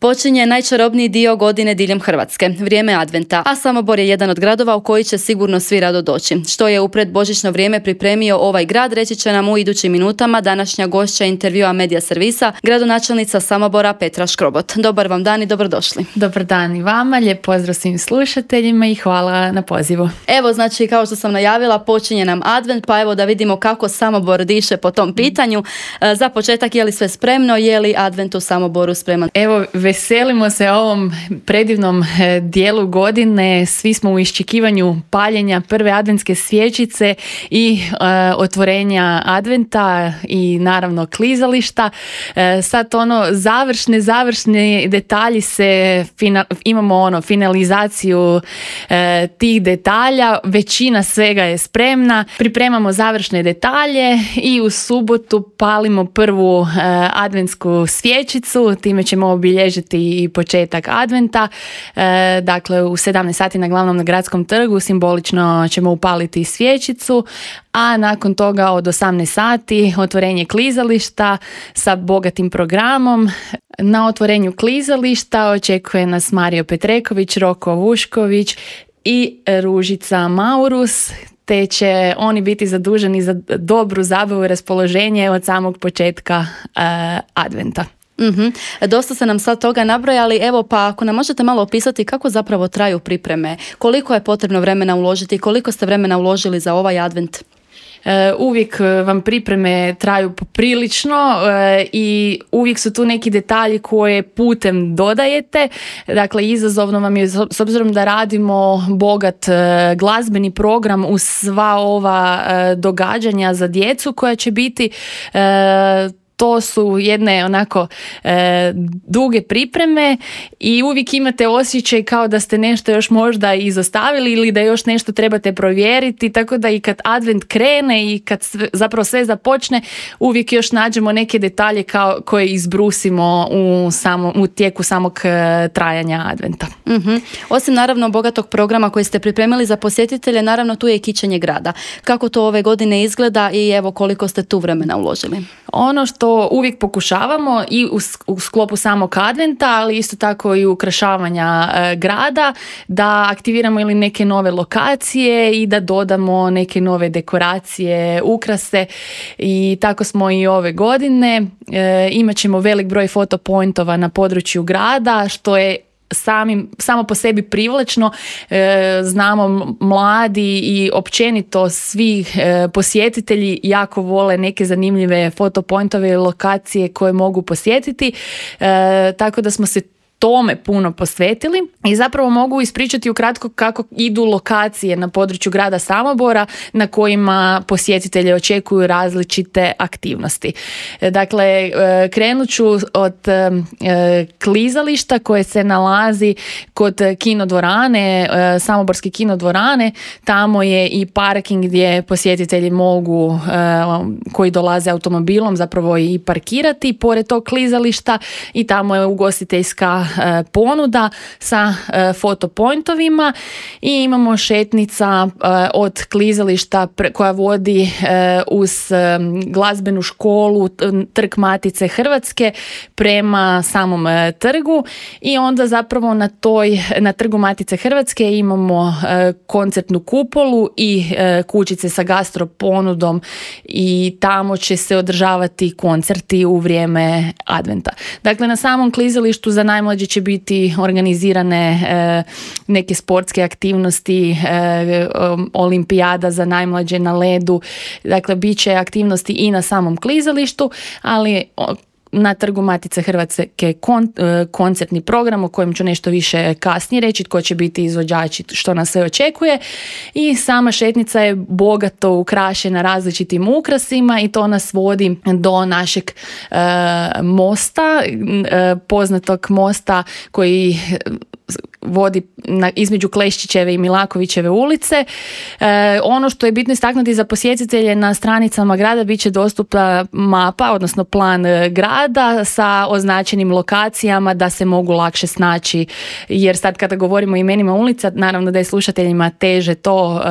Počinje najčarobniji dio godine diljem Hrvatske, vrijeme adventa, a Samobor je jedan od gradova u koji će sigurno svi rado doći. Što je u predbožićno vrijeme pripremio ovaj grad, reći će nam u idućim minutama današnja gošća intervjua Medija servisa, gradonačelnica Samobora Petra Škrobot. Dobar vam dan i dobrodošli. Dobar dan i vama, lijep pozdrav svim slušateljima i hvala na pozivu. Evo, znači, kao što sam najavila, počinje nam advent, pa evo da vidimo kako Samobor diše po tom pitanju. Za početak, je li sve spremno, je li advent u Samoboru spreman? Evo, veselimo se ovom predivnom dijelu godine. Svi smo u iščekivanju paljenja prve adventske svječice i otvorenja adventa i naravno klizališta. Sad završne detalji imamo finalizaciju tih detalja. Većina svega je spremna. Pripremamo završne detalje i u subotu palimo prvu adventsku svječicu. Time ćemo obilježiti i početak adventa. Dakle, u 17 sati na glavnom gradskom trgu simbolično ćemo upaliti svječicu, a nakon toga od 18 sati otvorenje klizališta sa bogatim programom. Na otvorenju klizališta očekuje nas Mario Petreković, Roko Vušković i Ružica Maurus, te će oni biti zaduženi za dobru zabavu i raspoloženje od samog početka adventa. Dosta ste nam sad toga nabrojali, evo pa ako nam možete malo opisati kako zapravo traju pripreme, koliko je potrebno vremena uložiti, koliko ste vremena uložili za ovaj advent? Uvijek vam pripreme traju poprilično i uvijek su tu neki detalji koje putem dodajete. Dakle, izazovno vam je, s obzirom da radimo bogat glazbeni program uz sva ova događanja za djecu koja će biti, to su jedne onako duge pripreme i uvijek imate osjećaj kao da ste nešto još možda izostavili ili da još nešto trebate provjeriti, tako da i kad advent krene i kad zapravo sve započne, uvijek još nađemo neke detalje koje izbrusimo u tijeku samog trajanja adventa. Osim naravno bogatog programa koji ste pripremili za posjetitelje, naravno tu je i kićenje grada. Kako to ove godine izgleda i evo koliko ste tu vremena uložili? Ono što uvijek pokušavamo i u sklopu samog adventa, ali isto tako i ukrašavanja grada, da aktiviramo ili neke nove lokacije i da dodamo neke nove dekoracije, ukrase, i tako smo i ove godine. Imat ćemo velik broj fotopointova na području grada, što je samo po sebi privlačno. Znamo, mladi i općenito svi posjetitelji jako vole neke zanimljive fotopointove i lokacije koje mogu posjetiti, tako da smo se tome puno posvetili i zapravo mogu ispričati ukratko kako idu lokacije na području grada Samobora na kojima posjetitelji očekuju različite aktivnosti. Dakle, krenut ću od klizališta koje se nalazi kod kinodvorane, Samoborske kinodvorane. Tamo je i parking gdje posjetitelji mogu, koji dolaze automobilom, zapravo i parkirati pored tog klizališta, i tamo je ugostiteljska ponuda sa fotopointovima i imamo šetnica od klizališta koja vodi uz glazbenu školu Trg Matice Hrvatske prema samom trgu, i onda zapravo na Trgu Matice Hrvatske imamo koncertnu kupolu i kućice sa gastro ponudom, i tamo će se održavati koncerti u vrijeme adventa. Dakle, na samom klizalištu za najmlađe će biti organizirane neke sportske aktivnosti, olimpijada za najmlađe na ledu. Dakle, bit će aktivnosti i na samom klizalištu, ali na Trgu Matice Hrvatske koncertni program o kojem ću nešto više kasnije reći, tko će biti izvođači, što nas sve očekuje. I sama šetnica je bogato ukrašena različitim ukrasima i to nas vodi do našeg mosta, poznatog mosta koji vodi između Kleščićeve i Milakovićeve ulice. Ono što je bitno istaknuti za posjetitelje, na stranicama grada bit će dostupna mapa, odnosno plan grada sa označenim lokacijama da se mogu lakše snaći, jer sad kada govorimo o imenima ulica, naravno da je slušateljima teže to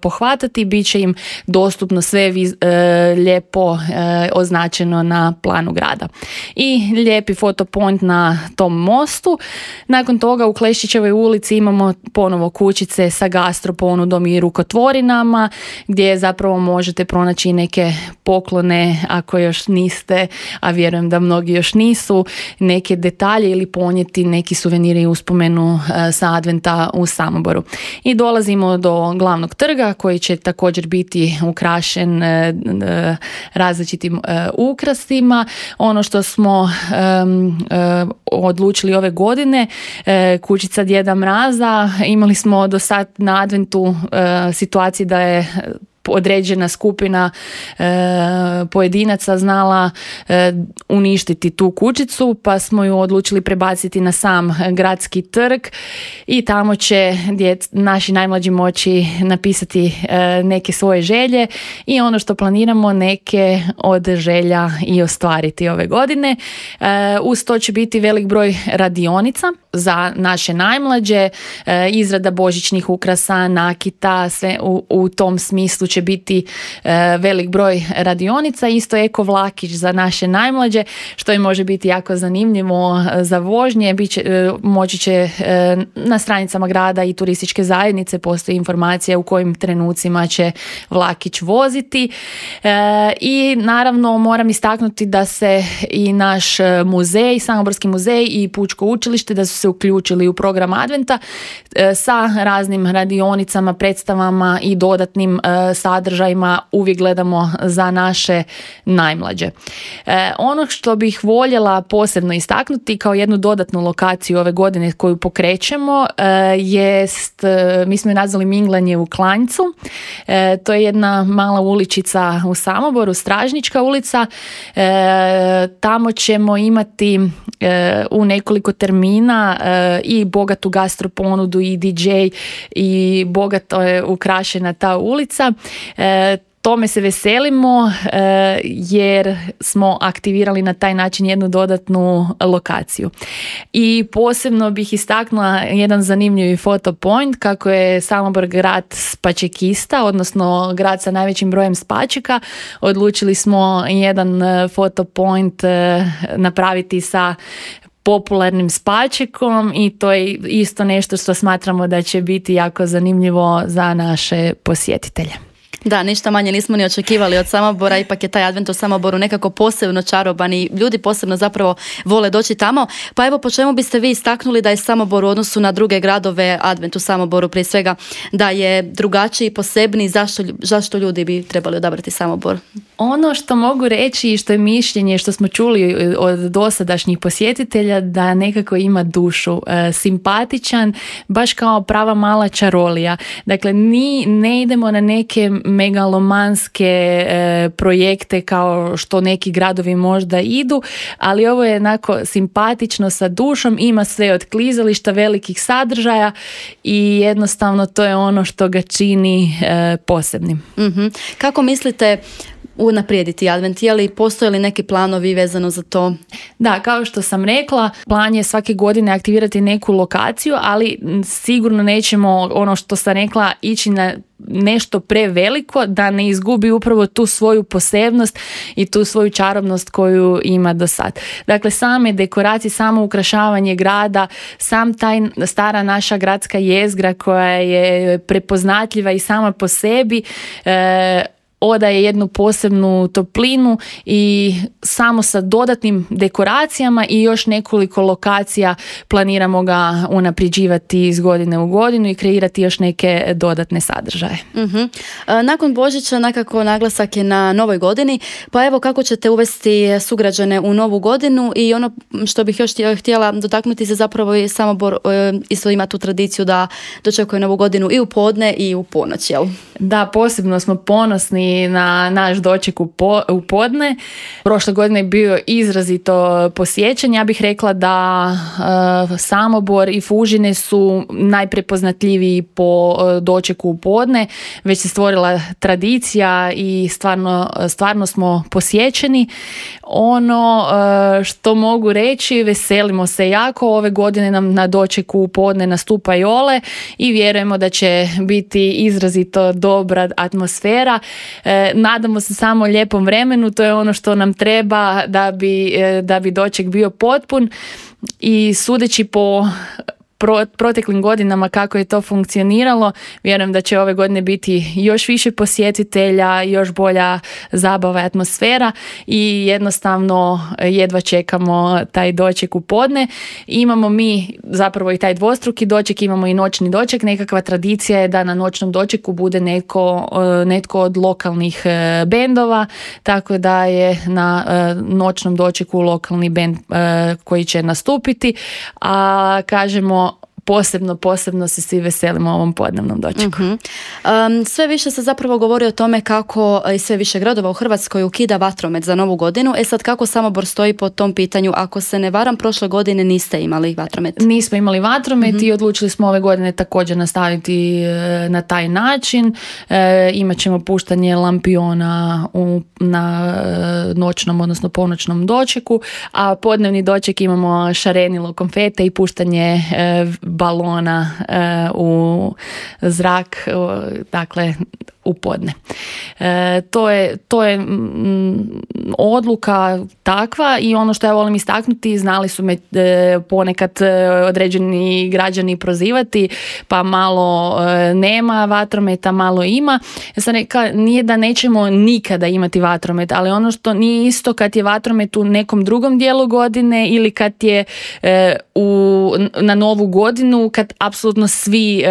pohvatati, bit će im dostupno sve lijepo označeno na planu grada. I lijepi fotopoint na tom mostu. Nakon toga u Kleščićevoj ulici imamo ponovo kućice sa gastroponudom i rukotvorinama, gdje zapravo možete pronaći neke poklone ako još niste, a vjerujem da mnogi još nisu, neke detalje ili ponijeti neki suveniri i uspomenu sa adventa u Samoboru. I dolazimo do glavnog trga koji će također biti ukrašen različitim ukrasima. Ono što smo odlučili ove godine, kućica Djeda Mraza, imali smo do sad na adventu situacije da je određena skupina pojedinaca znala uništiti tu kućicu, pa smo ju odlučili prebaciti na sam gradski trg i tamo će naši najmlađi moći napisati neke svoje želje i ono što planiramo, neke od želja i ostvariti ove godine. Uz to će biti velik broj radionica za naše najmlađe, izrada božićnih ukrasa, nakita, sve u tom smislu će biti velik broj radionica, isto eko vlakić za naše najmlađe, što im može biti jako zanimljivo za vožnje. Moći će na stranicama grada i turističke zajednice postoji informacija u kojim trenucima će vlakić voziti. I naravno moram istaknuti da se i naš muzej, Samoborski muzej i Pučko učilište, da su se uključili u program adventa sa raznim radionicama, predstavama i dodatnim sadržajima. Uvijek gledamo za naše najmlađe. Ono što bih voljela posebno istaknuti kao jednu dodatnu lokaciju ove godine koju pokrećemo jest, mi smo ju nazvali Minglanje u Klanjcu. To je jedna mala uličica u Samoboru, Stražnička ulica. Tamo ćemo imati u nekoliko termina i bogatu gastroponudu i DJ i bogato je ukrašena ta ulica. Tome se veselimo jer smo aktivirali na taj način jednu dodatnu lokaciju. I posebno bih istaknula jedan zanimljivi fotopoint, kako je Samobor grad spačekista, odnosno grad sa najvećim brojem spačeka. Odlučili smo jedan fotopoint napraviti sa popularnim spačekom i to je isto nešto što smatramo da će biti jako zanimljivo za naše posjetitelje. Da, ništa manje nismo ni očekivali od Samobora, ipak je taj advent u Samoboru nekako posebno čaroban i ljudi posebno zapravo vole doći tamo. Pa evo, po čemu biste vi istaknuli da je Samobor u odnosu na druge gradove, advent u Samoboru prije svega, da je drugačiji, posebniji, zašto ljudi bi trebali odabrati Samobor? Ono što mogu reći i što je mišljenje što smo čuli od dosadašnjih posjetitelja, da nekako ima dušu, simpatičan, baš kao prava mala čarolija. Dakle, ne idemo na neke megalomanske projekte kao što neki gradovi možda idu, ali ovo je onako simpatično sa dušom, ima sve od klizališta, velikih sadržaja i jednostavno to je ono što ga čini posebnim. Mm-hmm. Kako mislite unaprijediti advent? Je li postoje li neki planovi vezano za to? Da, kao što sam rekla, plan je svake godine aktivirati neku lokaciju, ali sigurno nećemo, ono što sam rekla, ići na nešto preveliko da ne izgubi upravo tu svoju posebnost i tu svoju čarobnost koju ima do sad. Dakle, same dekoracije, samo ukrašavanje grada, sam taj stara naša gradska jezgra koja je prepoznatljiva i sama po sebi, odaje jednu posebnu toplinu i samo sa dodatnim dekoracijama i još nekoliko lokacija planiramo ga unapređivati iz godine u godinu i kreirati još neke dodatne sadržaje. Mm-hmm. Nakon Božića nekako naglasak je na novoj godini, pa evo kako ćete uvesti sugrađane u novu godinu i ono što bih još htjela dotaknuti se zapravo je Samobor isto ima tu tradiciju da dočekuje novu godinu i u podne i u ponoć, jel? Da, posebno smo ponosni spremni na naš doček u podne. Prošle godine je bio izrazito posjećen. Ja bih rekla da Samobor i Fužine su najprepoznatljiviji po dočeku u podne. Već se stvorila tradicija i stvarno smo posjećeni. Ono što mogu reći, veselimo se jako. Ove godine nam na dočeku u podne nastupa Jole i vjerujemo da će biti izrazito dobra atmosfera. Nadamo se samo lijepom vremenu, to je ono što nam treba da bi doček bio potpun i sudeći po proteklim godinama kako je to funkcioniralo, vjerujem da će ove godine biti još više posjetitelja, još bolja zabava i atmosfera i jednostavno jedva čekamo taj doček u podne. Imamo mi zapravo i taj dvostruki doček, imamo i noćni doček. Nekakva tradicija je da na noćnom dočeku bude netko od lokalnih bendova, tako da je na noćnom dočeku lokalni bend koji će nastupiti, a kažemo posebno se svi veselimo ovom podnevnom dočeku. Sve više se zapravo govori o tome kako i sve više gradova u Hrvatskoj ukida vatromet za novu godinu. Sad kako Samobor stoji po tom pitanju? Ako se ne varam, prošle godine niste imali vatromet. Nismo imali vatromet i odlučili smo ove godine također nastaviti na taj način. Imat ćemo puštanje lampiona na noćnom, odnosno ponoćnom dočeku, a podnevni doček imamo šarenilo, konfete i puštanje balona u zrak, dakle u podne. To je odluka takva i ono što ja volim istaknuti, znali su me ponekad određeni građani prozivati, pa malo nema vatrometa, malo ima. Ja sam rekla, nije da nećemo nikada imati vatromet, ali ono što nije isto kad je vatromet u nekom drugom dijelu godine ili kad je na novu godinu, kad apsolutno svi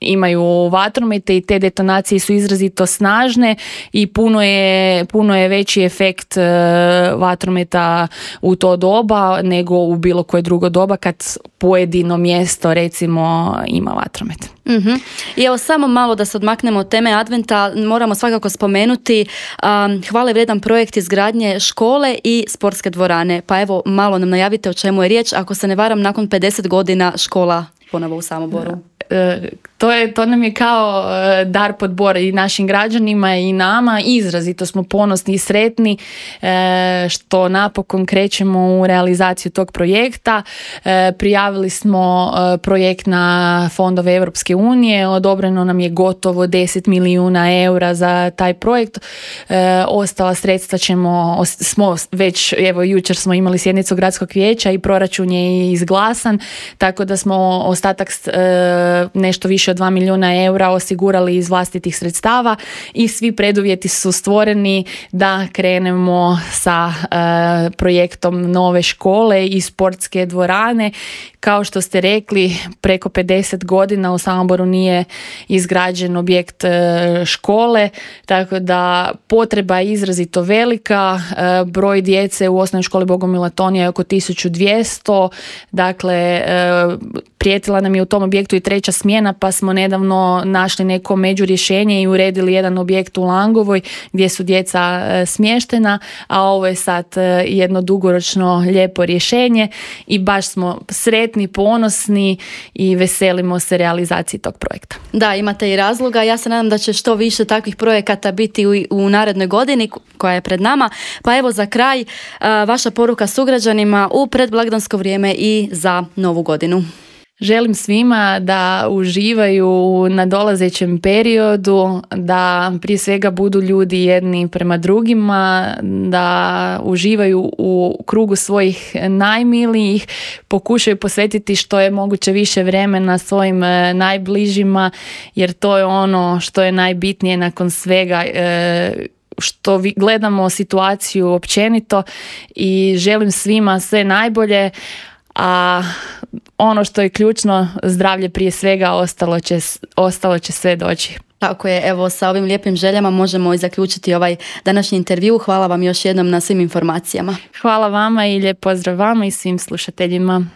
imaju vatromete i te detonacije su izrazito snažne i puno je veći efekt vatrometa u to doba nego u bilo koje drugo doba kad pojedino mjesto recimo ima vatromet. I evo samo malo da se odmaknemo od teme Adventa, moramo svakako spomenuti hvale vrijedan projekt izgradnje škole i sportske dvorane. Pa evo malo nam najavite o čemu je riječ. Ako se ne varam, nakon 50 godina škola ponovo u Samoboru. To nam je kao dar podbora i našim građanima i nama. Izrazito smo ponosni i sretni što napokon krećemo u realizaciju tog projekta. Prijavili smo projekt na fondove Europske unije, odobreno nam je gotovo 10 milijuna eura za taj projekt. Ostala sredstva smo već, evo jučer smo imali sjednicu gradskog vijeća i proračun je izglasan, tako da smo ostatak nešto više od 2 milijuna eura osigurali iz vlastitih sredstava i svi preduvjeti su stvoreni da krenemo sa projektom nove škole i sportske dvorane. Kao što ste rekli, preko 50 godina u Samoboru nije izgrađen objekt škole, tako da potreba je izrazito velika. Broj djece u osnovnoj školi Bogomila Tonija je oko 1200, dakle prijetila nam je u tom objektu i 3. smjena, pa smo nedavno našli neko međurješenje i uredili jedan objekt u Langovoj gdje su djeca smještena, a ovo je sad jedno dugoročno lijepo rješenje i baš smo sretni, ponosni i veselimo se realizaciji tog projekta. Da, imate i razloga. Ja se nadam da će što više takvih projekata biti u narednoj godini koja je pred nama. Pa evo za kraj, vaša poruka sugrađanima u predblagdansko vrijeme i za novu godinu. Želim svima da uživaju u nadolazećem periodu, da prije svega budu ljudi jedni prema drugima, da uživaju u krugu svojih najmilijih, pokušaju posvetiti što je moguće više vremena svojim najbližima, jer to je ono što je najbitnije nakon svega što gledamo situaciju općenito i želim svima sve najbolje, a ono što je ključno, zdravlje prije svega, ostalo će sve doći. Tako je, evo sa ovim lijepim željama možemo i zaključiti ovaj današnji intervju. Hvala vam još jednom na svim informacijama. Hvala vama i lijep pozdrav vama i svim slušateljima.